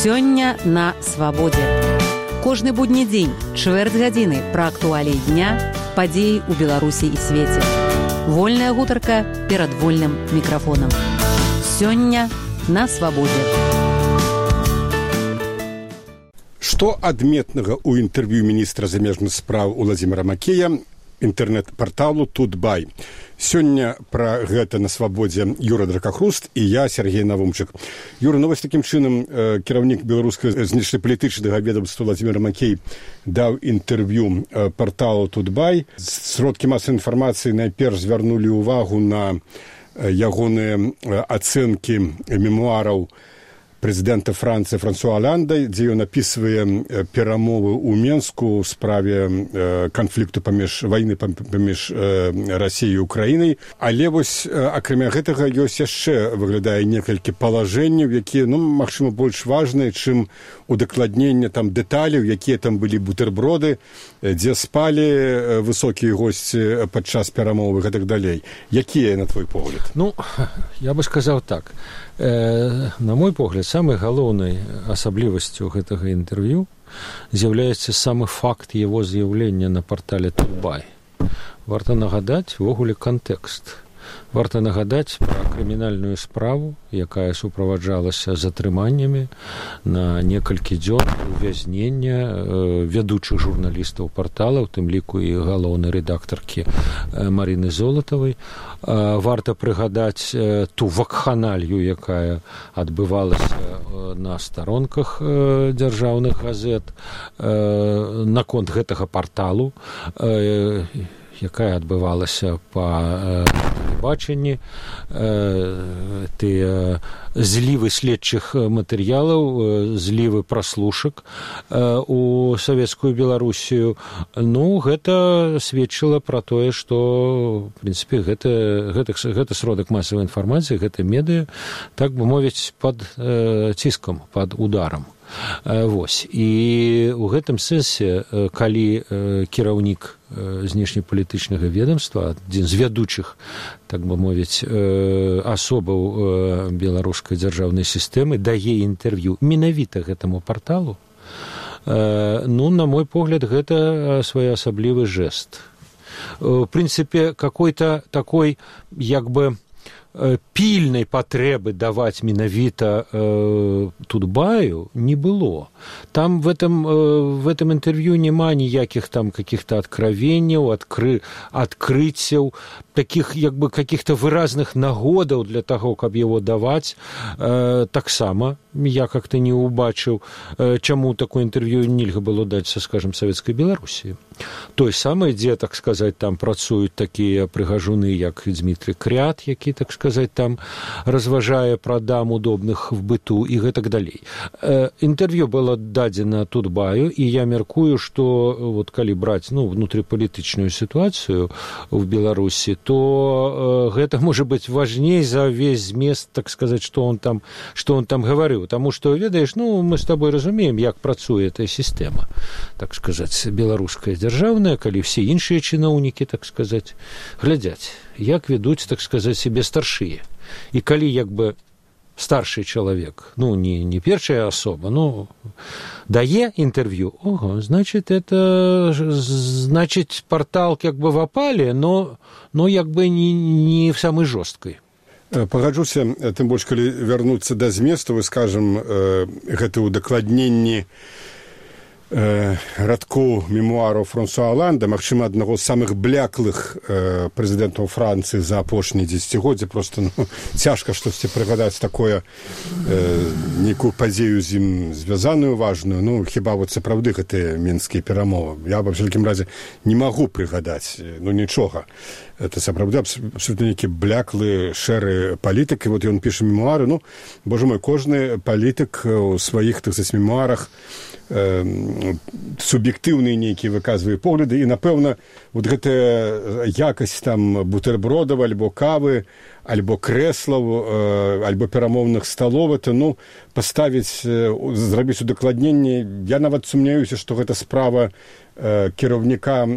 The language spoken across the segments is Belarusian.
Сёння на свабодзе. Кожны будні дзень, чвэрць гадзіны пра актуаліі дня, падзеі ў Беларусі і свеце. Вольная гутарка перад вольным мікрафонам. Сёння на свабодзе. Што адметнага ў інтэрв'ю міністра замежных спраў Уладзіміра Макея інтэрнэт-парталу Тутбай. Сёння пра гэта на свабодзе Юра Дракахруст і я, Сергей Навумчык. Юра, ну вось такім чынам кіраўнік беларускага знешнепалітычнага ведомства Уладзімір Макей даў інтэрв'ю парталу Тутбай. Сродкі масавай інфармацыі найперш звярнулі ўвагу на ягоныя ацэнкі мемуараў прэзідэнта Францыі Франсуа Аланда, дзе ён апісвае перамовы ў Менску ў справе канфлікту вайны паміж Расіяй і Украінай. Але вось, акрамя гэтага, ёсць яшчэ, выглядае, некалькі палажэнняў, якія, магчыма, больш важныя, чым удакладненне там дэталяў, якія там былі бутерброды, дзе спалі высокія госці падчас перамовы і так далей. Якія, на твой погляд? Я бы сказаў так. На мой погляд, самай галоўнай асаблівасцю гэтага інтэрв'ю з'яўляецца самы факт яго з'яўлення на партале Тутбай. Варта нагадаць увогуле кантэкст. Варта нагадаць пра крымінальную справу, якая суправаджалася затрыманнямі на некалькі дзён увязнення вядучых журналістаў партала, у тым ліку і галоўнай рэдактаркі Марыны Золатавай. Варта прыгадаць ту вакханалію, якая адбывалася на старонках дзяржаўных газет наконт гэтага парталу, якая адбывалася па тэлебачанні, тыя злівы следчых матэрыялаў, злівы праслушак у савецкую Беларусію. Гэта сведчыла пра тое, што, в прынцыпе, гэта сродак масавай інфармацыі, гэта медыа, так бы мовіць, пад ціскам, пад ударам. І ў гэтым сэнсе, калі кіраўнік знешнепалітычнага ведомства, адзін з вядучых, так бы мовіць, асобаў беларускай дзяржаўнай сістэмы, дае інтэрв'ю менавіта гэтаму парталу, на мой погляд, гэта своеасаблівы жэст. В прынцыпе, какой-то такой, як бы, пільнай патрэбы даваць менавіта Тутбаю не было. Там в этом интервью няма ніякіх там каких-то откровенняў, адкрыццяў, таких як бы каких-то выразных нагодаў для таго, каб яго даваць. Таксама я как-то не убачыў, чаму такое интервью нельга было даць са, скажем, Савецкай Беларусі. Той самай, дзе, так сказаць, там працуюць такія прыгажуны, як Дмітрий Крят, які, так сказаць, там разважае пра дам удобных в быту і гэтак далей. Інтэрв'ю было дадзена Тутбаю, і я мяркую, што вот калі браць внутрипалітычную сітуацыю в Беларусі, то гэта можа быць важней за весь змест, так сказаць, што он там гаварыў. Таму што, ведаеш, мы з табой разумеем, як працуе эта сістэма, так сказаць, беларуская дзяржаўная, калі все іншыя чыноўнікі, так сказаць, глядзяць, як ведуць, так сказаць, себе старшыя. І калі, як бы, старшы чалавек, не першая асоба, дае інтэрв'ю, значит, портал, как бы, в опале, но як бы, не в самой жорсткай. Пагаджуся, тым больш, калі вярнуцца да зместу, вы скажам, гэта ўдакладненні радкоў мемуараў Франсуа Аланда, магчыма, аднаго з самых бляклых прэзідэнтаў Францыі за апошнія дзесяцігоддзі. Просто цяжка штосьці прыгадаць такое, нейкую падзею з ім звязаную важную. Хіба вот сапраўды гэтыя менскія перамовы. Я, ва ўсякім разе, не магу прыгадаць, нічога. Это сапраўды абсолютно нейкі бляклы, шэры палітык. І вот ён піша мемуары. Боже мой, кожны палітык у сваіх, так сказаць, мемуарах суб'ектыўныя нейкія выказвае погляды, і, напэўна, вот гэтая якасць там бутербродаў, альбо кавы, альбо крэслаў, альбо перамоўных сталоў, это, паставіць, зрабіць удакладненне. Я нават сумняюся, што гэта справа кіраўніка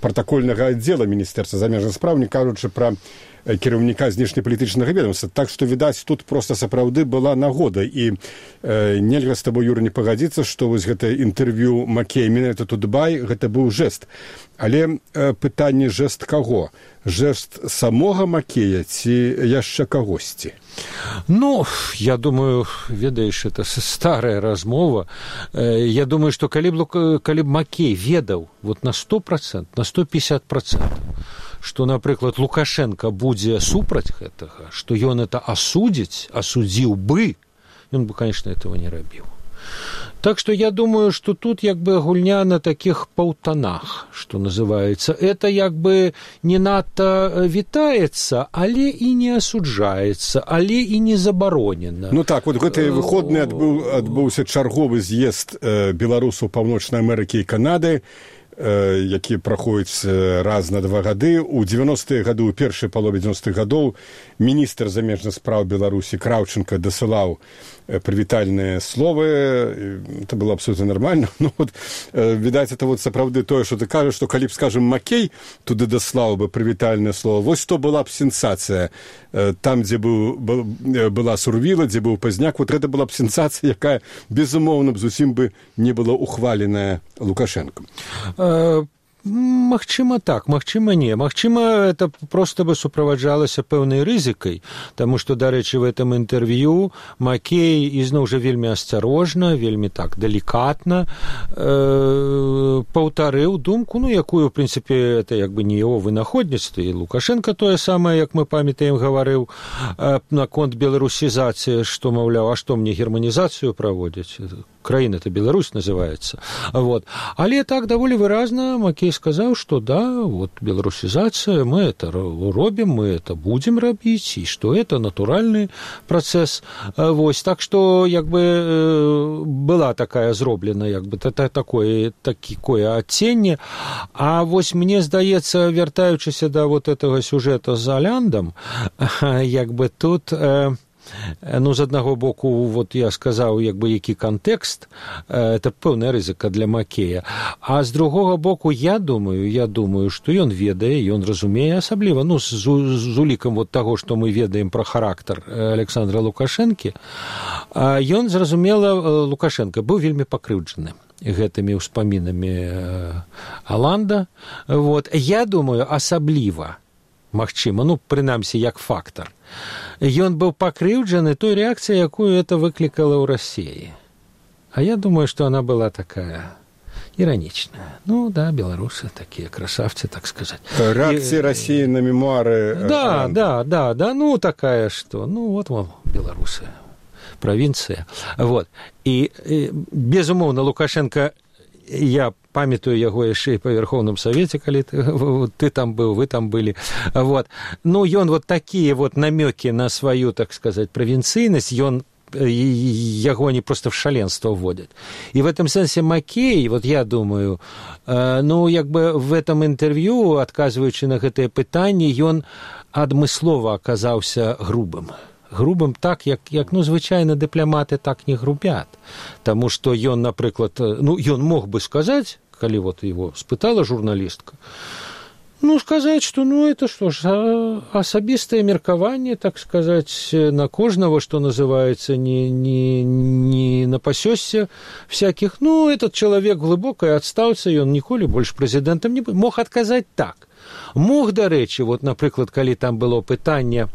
пратакольнага аддзела міністэрства замежных спраў, не кажучы пра кіраўніка знешнепалітычнага ведомства. Так што, відаць, тут проста сапраўды была нагода. І нельга з табой, Юра, не пагадзіцца, што вось гэта інтэрв'ю Макея менавіта Тутбай, гэта быў жэст. Але пытанне жэст каго? Жэст самога Макея ці яшчэ кагосьці? Ну, я думаю, ведаеш, это старая размова. Я думаю, што калі б Макей ведаў вот на 100%, на 150%, што, напрыклад, Лукашенко будзе супраць гэтага, што ён это асудзіў бы, ён бы, конечно, этого не рабіў. Так что я думаю, что тут як бы гульня на таких паўтанах, что называется. Это як бы не надто вітаецца, але і не асуджаецца, але і не забаронена. Ну так, вот гэтыя выходныя адбыўся чарговы з'езд беларусаў Паўночнай Амерыкі і Канады, які праходзіць раз на 2 гады. У 90-е гады, у першай палове 90-х гадоў міністр замежных спраў Беларусі Краўченка дасылаў прывітальныя словы. Это было абсолютно нормально. Ну, вот, відаць, это вот сапраўды тое, што ты кажаш, што калі б, скажем, Макей туды даслаў бы прывітальнае слово, вось то была б сенсацыя. Там, дзе была Сурвіла, дзе быў Пазняк, вот гэта была б сенсацыя, якая, безумоўна, зусім бы не была ухваленая Лукашенком. Магчыма так, магчыма не. Магчыма, это просто бы суправаджалася пэўнай рызыкай, таму што, дарэчы, в этом інтэрв'ю Макей ізноў жа вельмі асцярожна, вельмі так далікатна паўтарыў думку, ну, якую, в прынцыпе, это як бы не яго вынаходніцтва, і Лукашенко тое самае, як мы памятаем, гаварыў наконт беларусізацыі, што, маўляў, а што мне германізацыю праводзіць? Краіна-то Беларусь называется. Вот. Але так даволі выразна Макей сказаў, што да, вот беларусізацыя, мы это робім, мы это будзем рабіць, і што это натуральны працэс. Вось. Так што як бы была такая зроблена як бы такое адценне. А вось мне здаецца, вяртаючыся да вот этого сюжэта з Аляндам, як бы тут ну, з аднаго боку, вот я сказаў, як бы, які кантэкст, это пэўная рызыка для Макея, а з другога боку, я думаю, што ён ведае, ён разумее, асабліва, ну, з улікам вот таго, што мы ведаем пра характар Александра Лукашэнкі, ён, зразумела, Лукашенко быў вельмі пакрыўджаны гэтымі ўспамінамі Аланда. Вот. Я думаю, асабліва, магчыма, ну, прынамсі, як фактар, ён быў пакрыўджаны той рэакцыяй, якую это выклікала ў Расіі. А я думаю, што она была такая ироничная. Ну, да, белорусы такие красавцы, так сказать. Реакция России на мемуары. Да, ну, такая, что, ну, вот, мол, белорусы, провинция. Вот. И безумоўна, Лукашенко, я памятаю яго яшчэ і па Верховным Савеце, калі ты там быў, вы там былі. Вот. Ну, ён вот такія вот намёкі на сваю, так сказать, правінцыйнасць, яго они просто в шаленство вводят. И в этом сенсе Макей, вот я думаю, ну, як бы в этом интервью, адказваючы на гэтае пытанне, ён адмыслова аказаўся грубым так, як ну, звычайна дыпламаты так не грубят. Таму што ён, напрыклад, ну, ён мог бы сказаць, калі вот его спытала журналістка, ну, сказать, что, ну, это что ж, асабістае меркаванне, так сказать, на кожного, что называется, не напасёсся всяких. Ну, этот человек глубокой отстаўцы, он ніколі больше президентом не будет. Мог отказать так. Мог, дарэчы, вот, напрыклад, калі там было пытанне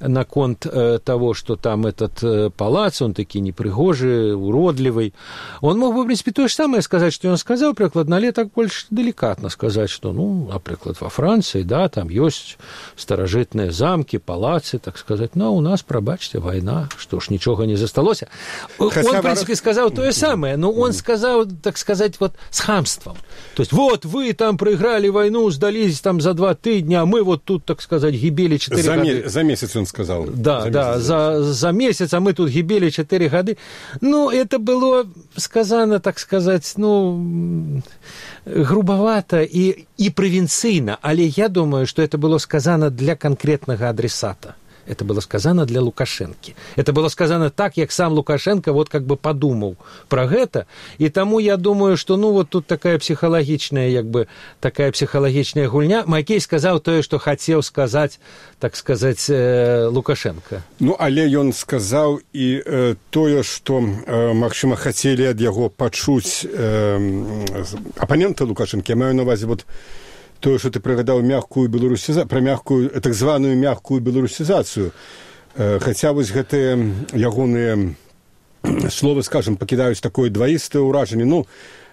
наконт того, что там этот палац, он таки непригожий, уродливый. Он мог бы, в принципе, то же самое сказать, что он сказал, прикладно, але так больше деликатно сказать, что, ну, например, во Франции, да, там есть старожитные замки, палацы, так сказать, но у нас, пробачьте, война, что ж, ничего не засталось. Он, в принципе, сказал то же самое, но он сказал, так сказать, вот с хамством. То есть, вот, вы там проиграли войну, сдались там за 2 тыдня, а мы вот тут, так сказать, гибели 4 года. За месяц он сказал. Да, за месяц, а мы тут гибели 4 года. Ну, это было сказано, так сказать, ну, грубовато и провинцийно, але я думаю, что это было сказано для конкретного адресата. Это было сказано для Лукашенко. Это было сказано так, как сам Лукашенко вот как бы подумал про это. И тому я думаю, что ну вот тут такая психологичная гульня. Макей сказал то, что хотел сказать, так сказать, Лукашенко. Ну, але ён сказаў і тое, што, магчыма, хацелі ад яго пачуць апаненты Лукашенко. Я маю на увазе вот тое, што ты прыгадаў пра мягкую, так званую мягкую беларусізацыю. Хаця вось гэтыя ягоныя словы, скажем, пакідаюць такое дваістае ўражанне. Ну,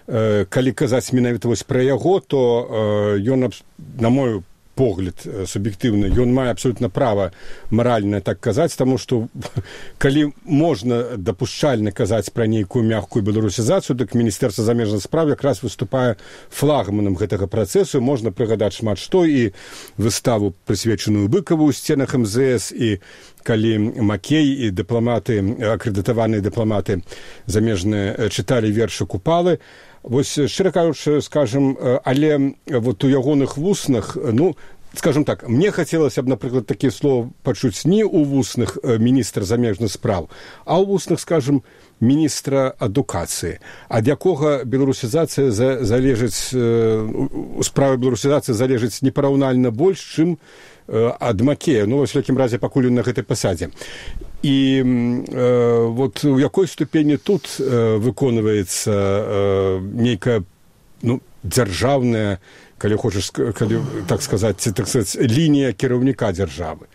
калі казаць менавіта вось пра яго, то ён, на мой погляд суб'ектыўны, ён мае абсолютна права маральна так казаць, таму што калі можна дапушчальна казаць пра нейкую мягкую беларусізацыю, дык Міністэрства замежных спраў якраз выступае флагманам гэтага працэсу. Можна прыгадаць шмат што, і выставу, прысвечаную Быкаву ў сценах МЗС, і калі Макей і дыпламаты, акрэдытаваныя дыпламаты замежныя чыталі вершы Купалы. Вось, шчыра кажучы, скажем, але вот у ягоных вуснах, ну, скажем так, мне хацелася б, напрыклад, такія словы пачуць не ў вуснах міністра замежных спраў, а ў вуснах, скажем, міністра адукацыі, ад якога беларусізацыя залежыць, справа беларусізацыі залежыць непараўнальна больш, чым ад Макея, ну, во всякім разе, пакуль ён на гэтай пасадзе. І вот у якой ступені тут выконваецца нейкая, ну, дзяржаўная, калі хочаш, калі, так сказаць, лінія кіраўніка дзяржавы?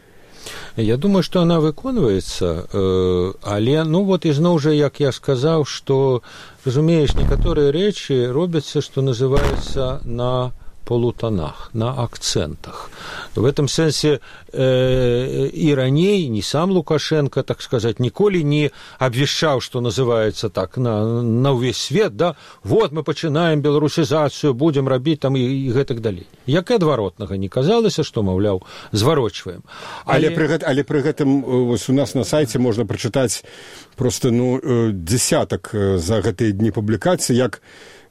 Я думаю, что она выконваецца, але, ну, вот ізноў жа, як я сказаў, што, разумееш, некаторыя рэчы робяцца, што называецца на полутонах, на акцентах. В этом сенсе и раней, не сам Лукашенко, так сказать, ніколі не обвещал, что называется так, на весь свет, да, вот мы пачынаем беларусізацыю, будем рабіць там и гэтак далей. Як і адваротнага не казалася, што, маўляў, зварочваем. Але пры гэтым вось у нас на сайце можна прачытаць просто, ну, дзесятак за гэтыя дні публікацый, як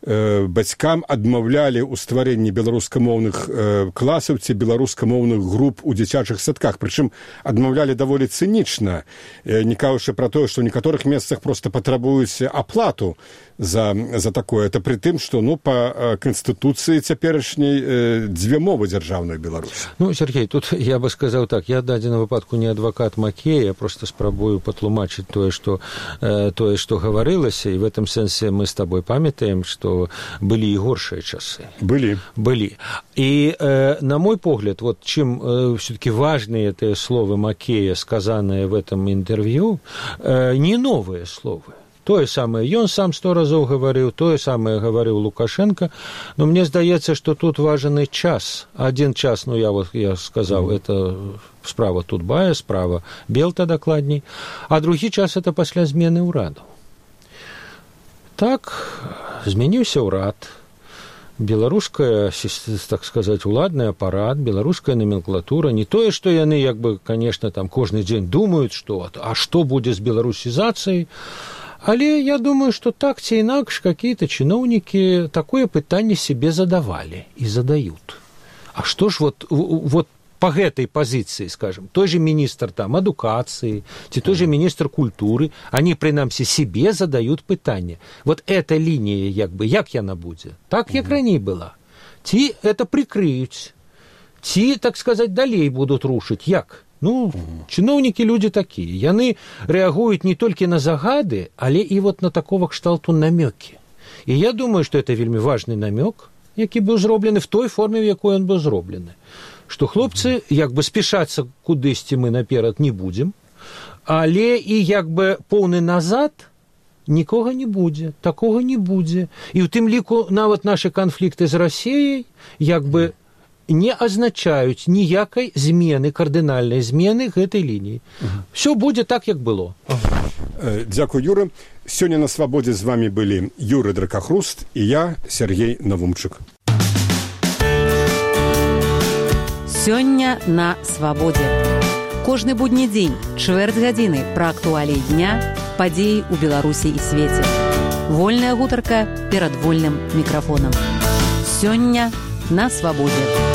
бацькам адмаўлялі ў стварэнні беларускамоўных класаў ці беларускамоўных груп у дзіцячых садках. Прычым адмаўлялі даволі цынічна, не кажучы пра тое, што ў некаторых месцах проста патрабуюць аплату за такое. Это пры тым, што, ну, па канстытуцыі цяперашняй дзве мовы дзяржаўнай Беларусі. Ну, Сергей, тут я бы сказаў так, я в дадзеным выпадку не адвакат Макея, я просто спрабую патлумачыць тое, што гаварылася, і в этом сэнсе мы з табой памятаем, што были и горшие часы. Были. И, на мой погляд, вот чем все-таки важные эти слова Макея, сказанные в этом интервью, не новые слова. То самое ён сам 100 разоў гаварыў, тое самае гаварыў Лукашенко, но мне здаецца, што тут важен і час. Один час, ну, я сказаў, это справа Тутбая, справа Белта дакладней, а другі час это пасля змены ўраду. Так, змяніўся ўрад, беларуская, так сказать, уладны апарат, беларуская номенклатура, не тое, што яны, як бы, конечно, там кожны дзень думаюць, што, а што будзе з беларусізацыяй, але я думаю, што так ці інакш какие-то чыноўнікі такое пытанне себе задавали и задают. А што ж вот по гэтай пазіцыі, скажем, той же министр там адукацыі, ці той же министр культуры, они, прынамсі, себе задают пытанне. Вот эта линия, як бы, як яна будзе? Так, як раней была. Ці это прикрыюць, ці, так сказать, далей будут рушыць. Як? Ну, чыноўнікі люди такие. Яны реагуюць не толькі на загады, але і вот на такого кшталту намёкі. І я думаю, что это вельмі важный намёк, які быў зроблены в той форме, в якой он быў зроблены. Што хлопцы, як бы, спешацца кудысьці мы наперад не будзем, але і як бы поўны назад нікога не будзе, такога не будзе. І ў тым ліку нават нашы канфлікты з Расіяй як бы не азначаюць ніякай змены, кардынальнай змены гэтай лініі. Всё будзе так, як было. Дзякуй, Юра. Сёння на свабодзе з вами былі Юры Дракахруст і я, Сергей Навумчык. Сёння на свабодзе. Кожны будні дзень, чвэрць гадзіны пра актуаліі дня, падзеі ў Беларусі і свеце. Вольная гутарка перад вольным мікрафонам. Сёння на свабодзе.